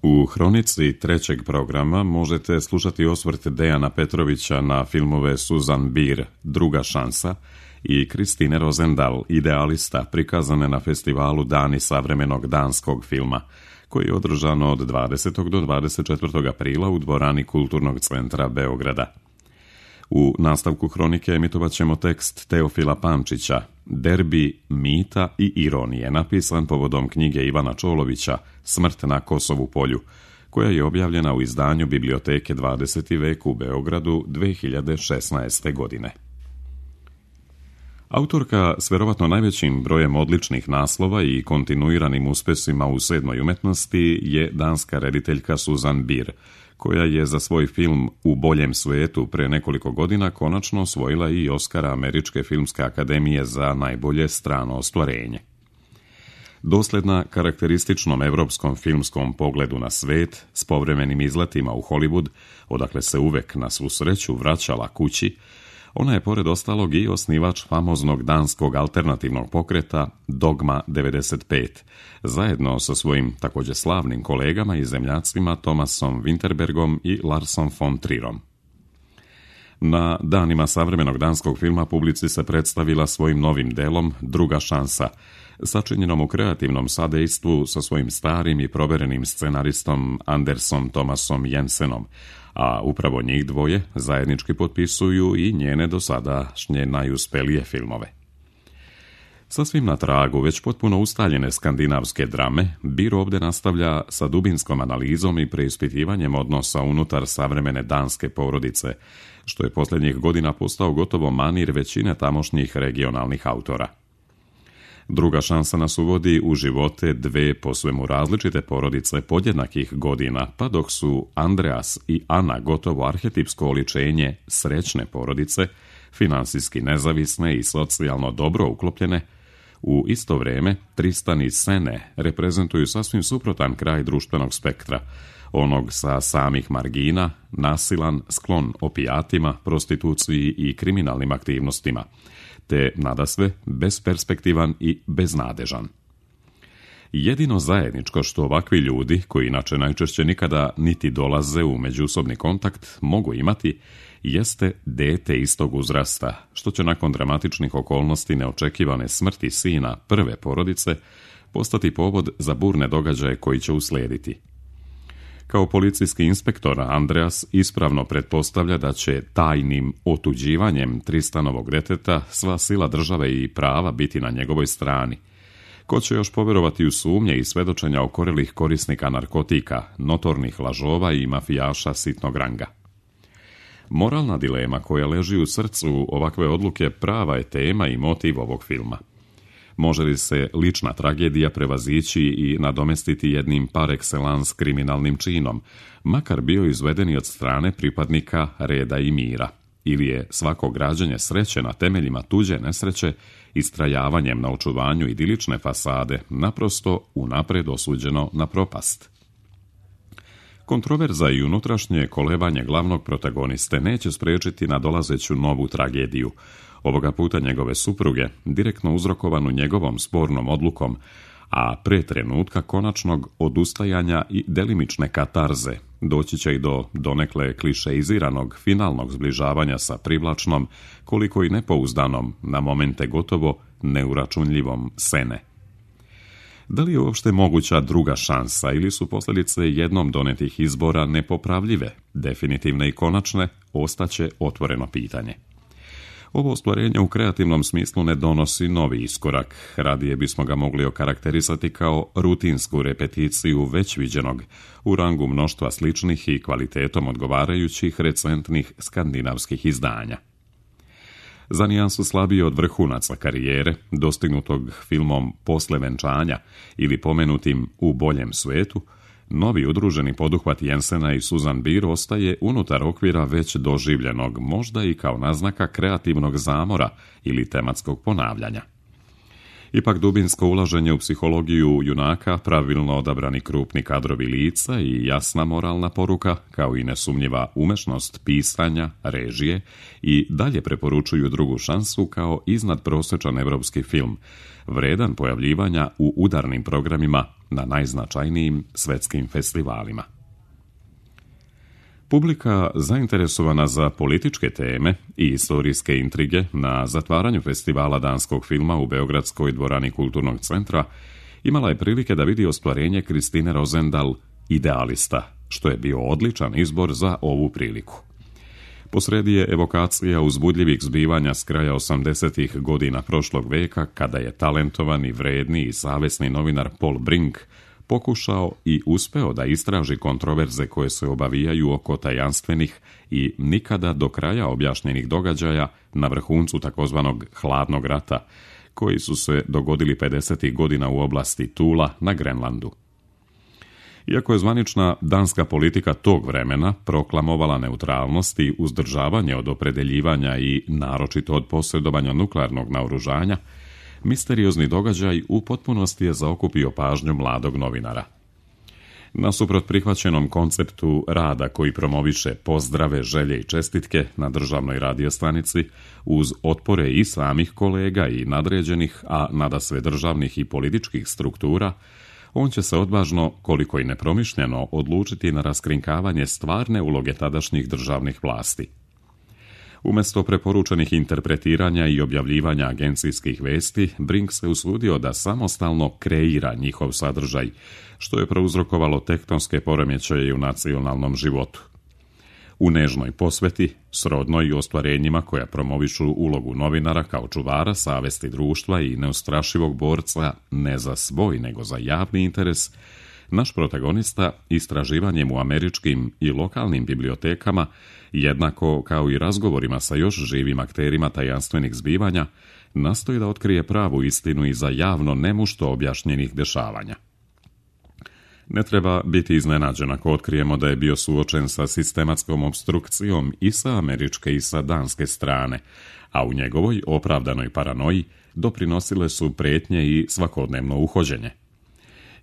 U hronici trećeg programa možete slušati osvrt Dejana Petrovića na filmove Susan Bier, Druga šansa, i Kristine Rosendahl, Idealista, prikazane na festivalu Dani savremenog danskog filma, koji je održano od 20. do 24. aprila u dvorani Kulturnog centra Beograda. U nastavku hronike emitovat ćemo tekst Teofila Pančića, Derbi mita i ironije, napisan povodom knjige Ivana Čolovića Smrt na Kosovu polju, koja je objavljena u izdanju Biblioteke 20. vek u Beogradu 2016. godine. Autorka s vjerovatno najvećim brojem odličnih naslova i kontinuiranim uspesima u sedmoj umetnosti je danska rediteljka Susan Bier, koja je za svoj film U boljem svetu pre nekoliko godina konačno osvojila i Oskara Američke filmske akademije za najbolje strano ostvarenje. Dosljedna karakterističnom evropskom filmskom pogledu na svet, s povremenim izletima u Hollywood, odakle se uvek na svu sreću vraćala kući, ona je pored ostalog i osnivač famoznog danskog alternativnog pokreta Dogma 95, zajedno sa svojim također slavnim kolegama i zemljacima Thomasom Winterbergom i Larsom von Trierom. Na danima savremenog danskog filma publici se predstavila svojim novim delom Druga šansa, sačinjenom u kreativnom sadejstvu sa svojim starim i proverenim scenaristom Andersom Thomasom Jensenom, a upravo njih dvoje zajednički potpisuju i njene dosadašnje najuspelije filmove. Sasvim na tragu već potpuno ustaljene skandinavske drame, Bier ovdje nastavlja sa dubinskom analizom i preispitivanjem odnosa unutar savremene danske porodice, što je posljednjih godina postao gotovo manir većine tamošnjih regionalnih autora. Druga šansa nas uvodi u živote dve posvemu različite porodice podjednakih godina, pa dok su Andreas i Ana gotovo arhetipsko oličenje srećne porodice, finansijski nezavisne i socijalno dobro uklopljene, u isto vrijeme Tristan i Sene reprezentuju sasvim suprotan kraj društvenog spektra, onog sa samih margina, nasilan, sklon opijatima, prostituciji i kriminalnim aktivnostima, te nadasve besperspektivan i beznadežan. Jedino zajedničko što ovakvi ljudi, koji inače najčešće nikada niti dolaze u međusobni kontakt, mogu imati, jeste dete istog uzrasta, što će nakon dramatičnih okolnosti neočekivane smrti sina prve porodice postati povod za burne događaje koji će uslijediti. Kao policijski inspektor, Andreas ispravno pretpostavlja da će tajnim otuđivanjem Tristanovog deteta sva sila države i prava biti na njegovoj strani. Ko će još povjerovati u sumnje i svedočenja okorelih korisnika narkotika, notornih lažova i mafijaša sitnog ranga? Moralna dilema koja leži u srcu ovakve odluke prava je tema i motiv ovog filma. Može li se lična tragedija prevazići i nadomestiti jednim par excellence kriminalnim činom, makar bio izvedeni od strane pripadnika reda i mira, ili je svako građenje sreće na temeljima tuđe nesreće istrajavanjem na očuvanju idilične fasade naprosto unapred osuđeno na propast? Kontroverza i unutrašnje kolebanje glavnog protagoniste neće spriječiti nadolazeću novu tragediju, ovoga puta njegove supruge, direktno uzrokovanu njegovom spornom odlukom, a pre trenutka konačnog odustajanja i delimične katarze doći će i do donekle klišeiziranog finalnog zbližavanja sa privlačnom, koliko i nepouzdanom, na momente gotovo neuračunljivom Sene. Da li je uopšte moguća druga šansa ili su posljedice jednom donetih izbora nepopravljive, definitivne i konačne, ostaće otvoreno pitanje. Ovo ostvarenje u kreativnom smislu ne donosi novi iskorak, radije bismo ga mogli okarakterisati kao rutinsku repeticiju već viđenog, u rangu mnoštva sličnih i kvalitetom odgovarajućih recentnih skandinavskih izdanja. Za nijansu slabiji od vrhunaca karijere, dostignutog filmom Posle venčanja ili pomenutim U boljem svetu, novi udruženi poduhvat Jensena i Susan Bier ostaje unutar okvira već doživljenog, možda i kao naznaka kreativnog zamora ili tematskog ponavljanja. Ipak dubinsko ulaženje u psihologiju junaka, pravilno odabrani krupni kadrovi lica i jasna moralna poruka, kao i nesumnjiva umešnost pisanja, režije i dalje preporučuju Drugu šansu kao iznadprosječan evropski film, vredan pojavljivanja u udarnim programima na najznačajnijim svetskim festivalima. Publika zainteresovana za političke teme i istorijske intrige na zatvaranju festivala danskog filma u Beogradskoj dvorani Kulturnog centra imala je prilike da vidi ostvarenje Kristine Rozendal Idealista, što je bio odličan izbor za ovu priliku. Posredi je evokacija uzbudljivih zbivanja s kraja 80. godina prošlog veka, kada je talentovani, vredni i savesni novinar Paul Brink pokušao i uspeo da istraži kontroverze koje se obavijaju oko tajanstvenih i nikada do kraja objašnjenih događaja na vrhuncu takozvanog hladnog rata, koji su se dogodili 50. godina u oblasti Tula na Grenlandu. Iako je zvanična danska politika tog vremena proklamovala neutralnost i uzdržavanje od opredeljivanja i naročito od posjedovanja nuklearnog naoružanja, misteriozni događaj u potpunosti je zaokupio pažnju mladog novinara. Nasuprot prihvaćenom konceptu rada koji promoviše pozdrave, želje i čestitke na državnoj radiostanici, uz otpore i samih kolega i nadređenih, a nadasve državnih i političkih struktura, on će se odvažno, koliko i nepromišljeno, odlučiti na raskrinkavanje stvarne uloge tadašnjih državnih vlasti. Umjesto preporučenih interpretiranja i objavljivanja agencijskih vesti, Brink se usudio da samostalno kreira njihov sadržaj, što je prouzrokovalo tektonske poremećaje u nacionalnom životu. U nežnoj posveti, srodnoj i ostvarenjima koja promovišu ulogu novinara kao čuvara savesti društva i neustrašivog borca ne za svoj nego za javni interes, naš protagonista istraživanjem u američkim i lokalnim bibliotekama, jednako kao i razgovorima sa još živim akterima tajanstvenih zbivanja, nastoji da otkrije pravu istinu iza javno nemušto objašnjenih dešavanja. Ne treba biti iznenađen ako otkrijemo da je bio suočen sa sistematskom opstrukcijom i sa američke i sa danske strane, a u njegovoj opravdanoj paranoji doprinosile su prijetnje i svakodnevno uhođenje.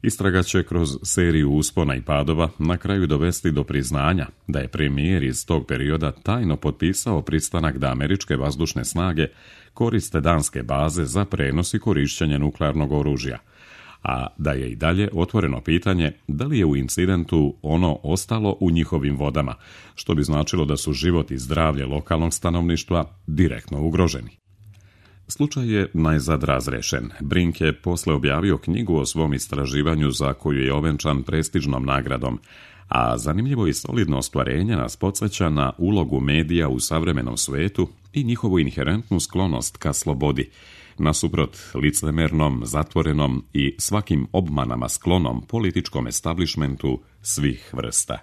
Istraga će kroz seriju uspona i padova na kraju dovesti do priznanja da je premijer iz tog perioda tajno potpisao pristanak da američke vazdušne snage koriste danske baze za prenos i korišćenje nuklearnog oružja, a da je i dalje otvoreno pitanje da li je u incidentu ono ostalo u njihovim vodama, što bi značilo da su život i zdravlje lokalnog stanovništva direktno ugroženi. Slučaj je najzad razrešen. Brink je posle objavio knjigu o svom istraživanju za koju je ovenčan prestižnom nagradom, a zanimljivo i solidno ostvarenje nas podsjeća na ulogu medija u savremenom svetu i njihovu inherentnu sklonost ka slobodi, nasuprot licemernom, zatvorenom i svakim obmanama sklonom političkom establishmentu svih vrsta.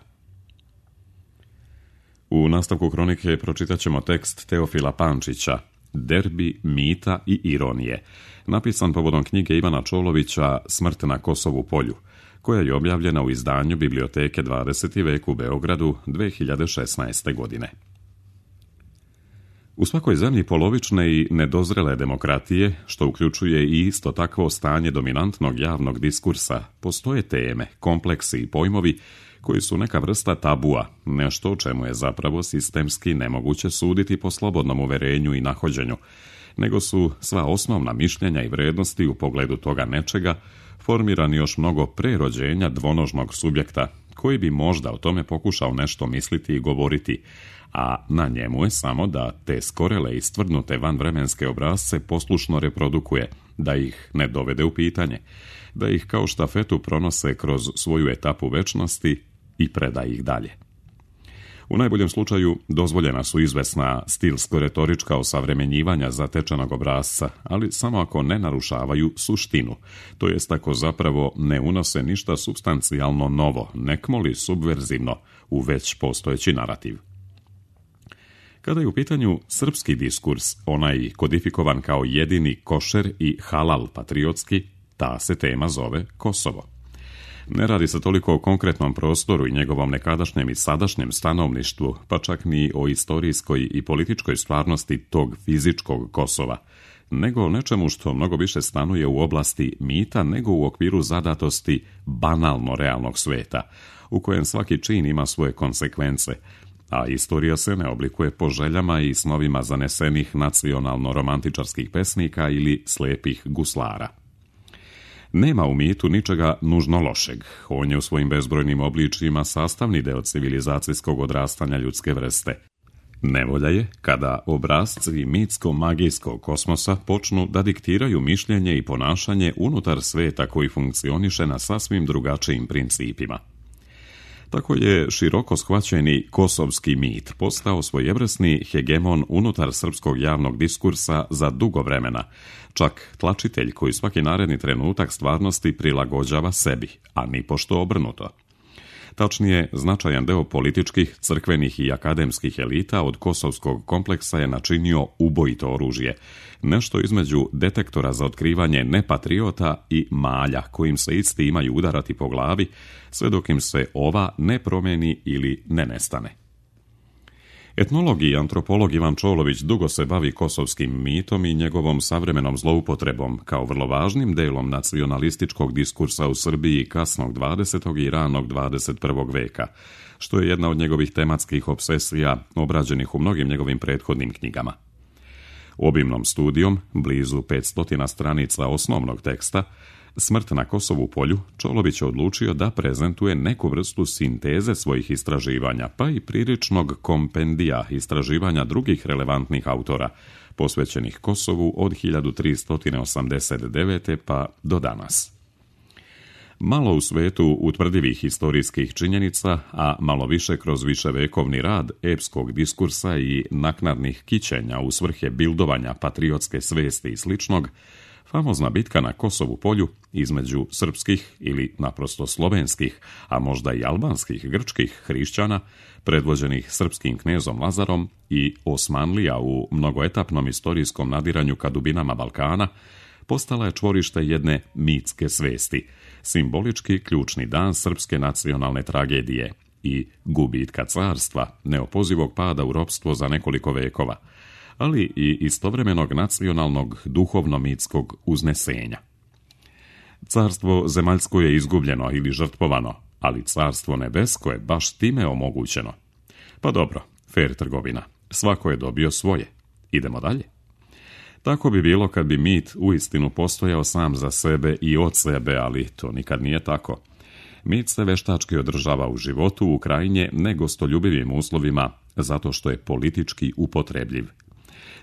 U nastavku kronike pročitat ćemo tekst Teofila Pančića, Derbi, mita i ironije, napisan povodom knjige Ivana Čolovića Smrt na Kosovu polju, koja je objavljena u izdanju Biblioteke 20. vek u Beogradu 2016. godine. U svakoj zemlji polovične i nedozrele demokratije, što uključuje i isto takvo stanje dominantnog javnog diskursa, postoje teme, kompleksi i pojmovi koji su neka vrsta tabua, nešto o čemu je zapravo sistemski nemoguće suditi po slobodnom uverenju i nahođenju, nego su sva osnovna mišljenja i vrednosti u pogledu toga nečega formirani još mnogo pre rođenja dvonožnog subjekta, koji bi možda o tome pokušao nešto misliti i govoriti, a na njemu je samo da te skorele i stvrdnute vanvremenske obrazce poslušno reprodukuje, da ih ne dovede u pitanje, da ih kao štafetu pronose kroz svoju etapu večnosti i preda ih dalje. U najboljem slučaju dozvoljena su izvesna stilsko-retorička osavremenjivanja zatečenog obrasca, ali samo ako ne narušavaju suštinu, to jest ako zapravo ne unose ništa supstancijalno novo, nekmoli subverzivno u već postojeći narativ. Kada je u pitanju srpski diskurs, onaj kodifikovan kao jedini košer i halal patriotski, ta se tema zove Kosovo. Ne radi se toliko o konkretnom prostoru i njegovom nekadašnjem i sadašnjem stanovništvu, pa čak ni o istorijskoj i političkoj stvarnosti tog fizičkog Kosova, nego o nečemu što mnogo više stanuje u oblasti mita nego u okviru zadatosti banalno realnog sveta, u kojem svaki čin ima svoje konsekvence, a istorija se ne oblikuje po željama i snovima zanesenih nacionalno-romantičarskih pesnika ili slepih guslara. Nema u mitu ničega nužno lošeg. On je u svojim bezbrojnim obličjima sastavni deo civilizacijskog odrastanja ljudske vrste. Nevolja je kada obrazci mitsko-magijskog kosmosa počnu da diktiraju mišljenje i ponašanje unutar sveta koji funkcioniše na sasvim drugačijim principima. Tako je široko shvaćeni kosovski mit postao svojevrsni hegemon unutar srpskog javnog diskursa za dugo vremena, čak tlačitelj koji svaki naredni trenutak stvarnosti prilagođava sebi, a nipošto obrnuto. Tačnije, značajan deo političkih, crkvenih i akademskih elita od kosovskog kompleksa je načinio ubojito oružje, nešto između detektora za otkrivanje nepatriota i malja kojim se isti imaju udarati po glavi, sve dok im se ova ne promeni ili ne nestane. Etnolog i antropolog Ivan Čolović dugo se bavi kosovskim mitom i njegovom savremenom zloupotrebom kao vrlo važnim delom nacionalističkog diskursa u Srbiji kasnog 20. i ranog 21. veka, što je jedna od njegovih tematskih obsesija obrađenih u mnogim njegovim prethodnim knjigama. Obimnom studijom, blizu 500 stranica osnovnog teksta, Smrt na Kosovu polju, Čolović je odlučio da prezentuje neku vrstu sinteze svojih istraživanja, pa i priličnog kompendija istraživanja drugih relevantnih autora, posvećenih Kosovu od 1389. pa do danas. Malo u svetu utvrdivih historijskih činjenica, a malo više kroz viševekovni rad epskog diskursa i naknadnih kićenja u svrhe bildovanja patriotske svesti i sličnog, famozna bitka na Kosovu polju između srpskih ili naprosto slovenskih, a možda i albanskih grčkih hrišćana, predvođenih srpskim knezom Lazarom i Osmanlija u mnogoetapnom istorijskom nadiranju ka dubinama Balkana, postala je čvorište jedne mitske svesti, simbolički ključni dan srpske nacionalne tragedije i gubitka carstva, neopozivog pada u ropstvo za nekoliko vekova, ali i istovremenog nacionalnog duhovno-mitskog uznesenja. Carstvo zemaljsko je izgubljeno ili žrtvovano, ali carstvo nebesko je baš time omogućeno. Pa dobro, fer trgovina, svako je dobio svoje. Idemo dalje. Tako bi bilo kad bi mit uistinu postojao sam za sebe i od sebe, ali to nikad nije tako. Mit se veštački održava u životu u krajnje negostoljubivim uslovima, zato što je politički upotrebljiv.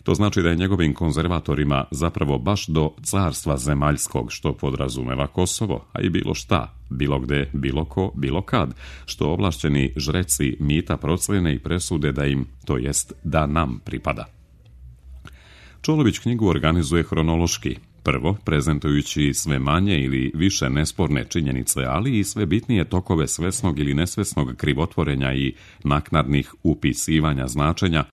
To znači da je njegovim konzervatorima zapravo baš do carstva zemaljskog, što podrazumeva Kosovo, a i bilo šta, bilo gde, bilo ko, bilo kad, što ovlašćeni žreci mita procene i presude da im, to jest da nam pripada. Čolović knjigu organizuje hronološki, prvo prezentujući sve manje ili više nesporne činjenice, ali i sve bitnije tokove svesnog ili nesvesnog krivotvorenja i naknadnih upisivanja značenja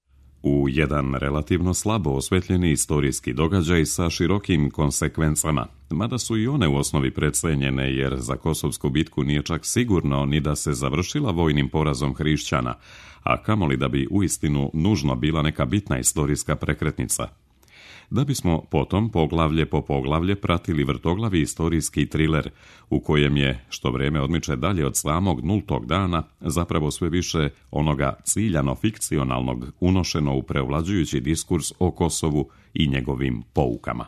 u jedan relativno slabo osvetljeni istorijski događaj sa širokim konsekvencama, mada su i one u osnovi precenjene jer za Kosovsku bitku nije čak sigurno ni da se završila vojnim porazom hrišćana, a kamoli da bi uistinu nužno bila neka bitna istorijska prekretnica. Da bismo potom poglavlje po poglavlje pratili vrtoglavi istorijski triler u kojem je, što vreme odmiče dalje od samog nultog dana, zapravo sve više onoga ciljano-fikcionalnog unošeno u preovlađujući diskurs o Kosovu i njegovim poukama.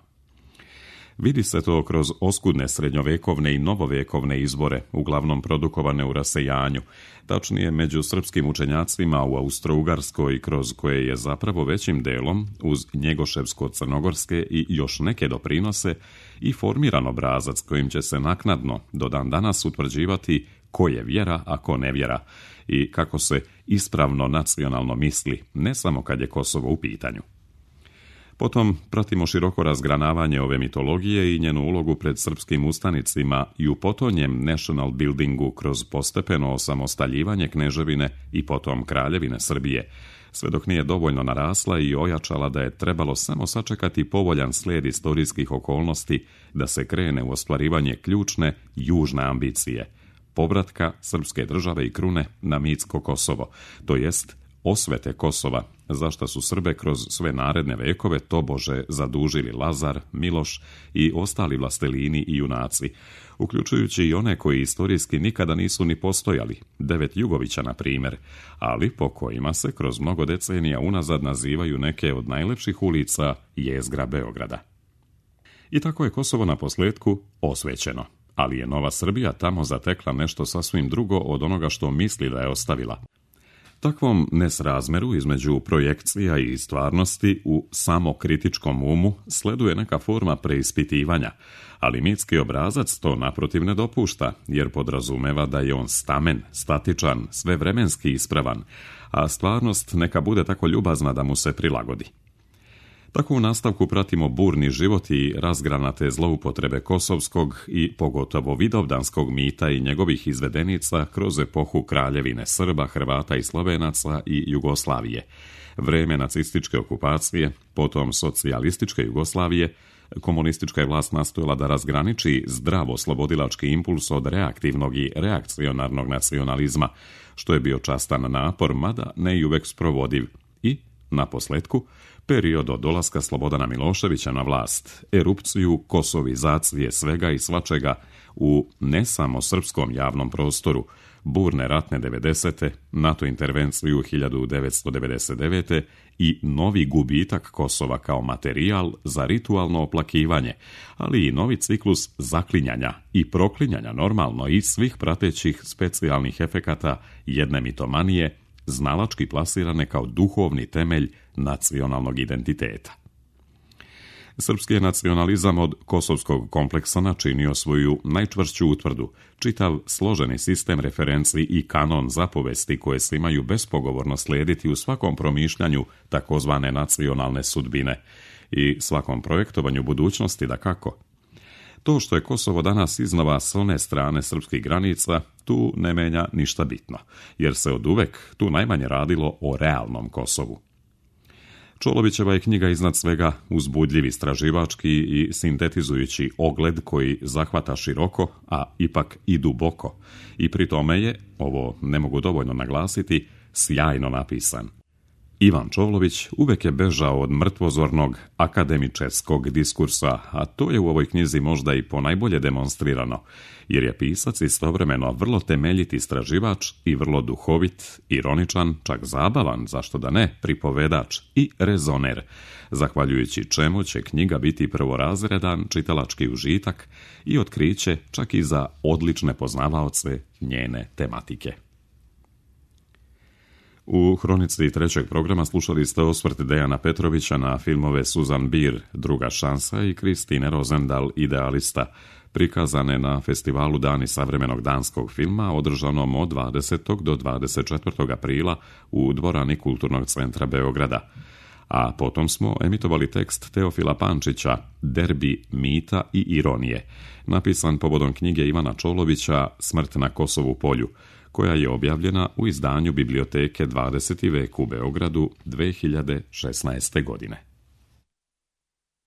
Vidi se to kroz oskudne srednjovekovne i novovekovne izvore, uglavnom produkovane u rasejanju, tačnije među srpskim učenjacima u Austro-Ugarskoj, kroz koje je zapravo većim delom, uz njegoševsko-crnogorske i još neke doprinose, i formiran obrazac kojim će se naknadno do dan danas utvrđivati ko je vjera, a ko ne vjera, i kako se ispravno nacionalno misli, ne samo kad je Kosovo u pitanju. Potom pratimo široko razgranavanje ove mitologije i njenu ulogu pred srpskim ustanicima i u potonjem national buildingu kroz postepeno osamostaljivanje kneževine i potom kraljevine Srbije, sve dok nije dovoljno narasla i ojačala da je trebalo samo sačekati povoljan slijed istorijskih okolnosti da se krene u ostvarivanje ključne južne ambicije, povratka srpske države i krune na mitsko Kosovo, to jest osvete Kosova, za što su Srbe kroz sve naredne vekove tobože zadužili Lazar, Miloš i ostali vlastelini i junaci, uključujući i one koji istorijski nikada nisu ni postojali, 9 Jugovića na primjer, ali po kojima se kroz mnogo decenija unazad nazivaju neke od najlepših ulica jezgra Beograda. I tako je Kosovo na posljetku osvećeno, ali je Nova Srbija tamo zatekla nešto sasvim drugo od onoga što misli da je ostavila. Takvom nesrazmeru između projekcija i stvarnosti u samokritičkom umu sleduje neka forma preispitivanja, ali mitski obrazac to naprotiv ne dopušta, jer podrazumeva da je on stamen, statičan, svevremenski ispravan, a stvarnost neka bude tako ljubazna da mu se prilagodi. Tako u nastavku pratimo burni život i razgranate zloupotrebe kosovskog i pogotovo vidovdanskog mita i njegovih izvedenica kroz epohu kraljevine Srba, Hrvata i Slovenaca i Jugoslavije, vreme nacističke okupacije, potom socijalističke Jugoslavije. Komunistička je vlast nastojala da razgraniči zdravo slobodilački impuls od reaktivnog i reakcionarnog nacionalizma, što je bio častan napor, mada ne i uvek sprovodiv. I, na posljetku, period od dolaska Slobodana Miloševića na vlast, erupciju kosovizacije svega i svačega u ne samo srpskom javnom prostoru, burne ratne 90. NATO intervenciju 1999. i novi gubitak Kosova kao materijal za ritualno oplakivanje, ali i novi ciklus zaklinjanja i proklinjanja normalno i svih pratećih specijalnih efekata jedne mitomanije, znalački plasirane kao duhovni temelj nacionalnog identiteta. Srpski je nacionalizam od kosovskog kompleksa načinio svoju najčvršću utvrdu, čitav složeni sistem referenci i kanon zapovesti koje se imaju bespogovorno slijediti u svakom promišljanju takozvane nacionalne sudbine i svakom projektovanju budućnosti dakako. To što je Kosovo danas iznova s one strane srpskih granica, tu ne menja ništa bitno, jer se oduvek tu najmanje radilo o realnom Kosovu. Čolovićeva je knjiga iznad svega uzbudljiv istraživački i sintetizujući ogled koji zahvata široko, a ipak i duboko, i pri tome je, ovo ne mogu dovoljno naglasiti, sjajno napisan. Ivan Čolović uvek je bežao od mrtvozornog akademičeskog diskursa, a to je u ovoj knjizi možda i ponajbolje demonstrirano, jer je pisac istovremeno vrlo temeljit istraživač i vrlo duhovit, ironičan, čak zabavan, zašto da ne, pripovedač i rezoner, zahvaljujući čemu će knjiga biti prvorazredan čitalački užitak i otkriće čak i za odlične poznavaoce njene tematike. U hronici trećeg programa slušali ste osvrt Dejana Petrovića na filmove Susan Bier, Druga šansa i Kristine Rosendahl, Idealista, prikazane na festivalu Dani savremenog danskog filma, održanom od 20. do 24. aprila u dvorani Kulturnog centra Beograda. A potom smo emitovali tekst Teofila Pančića, Derbi mita i ironije, napisan povodom knjige Ivana Čolovića Smrt na Kosovu polju, koja je objavljena u izdanju Biblioteke 20. vek u Beogradu 2016. godine.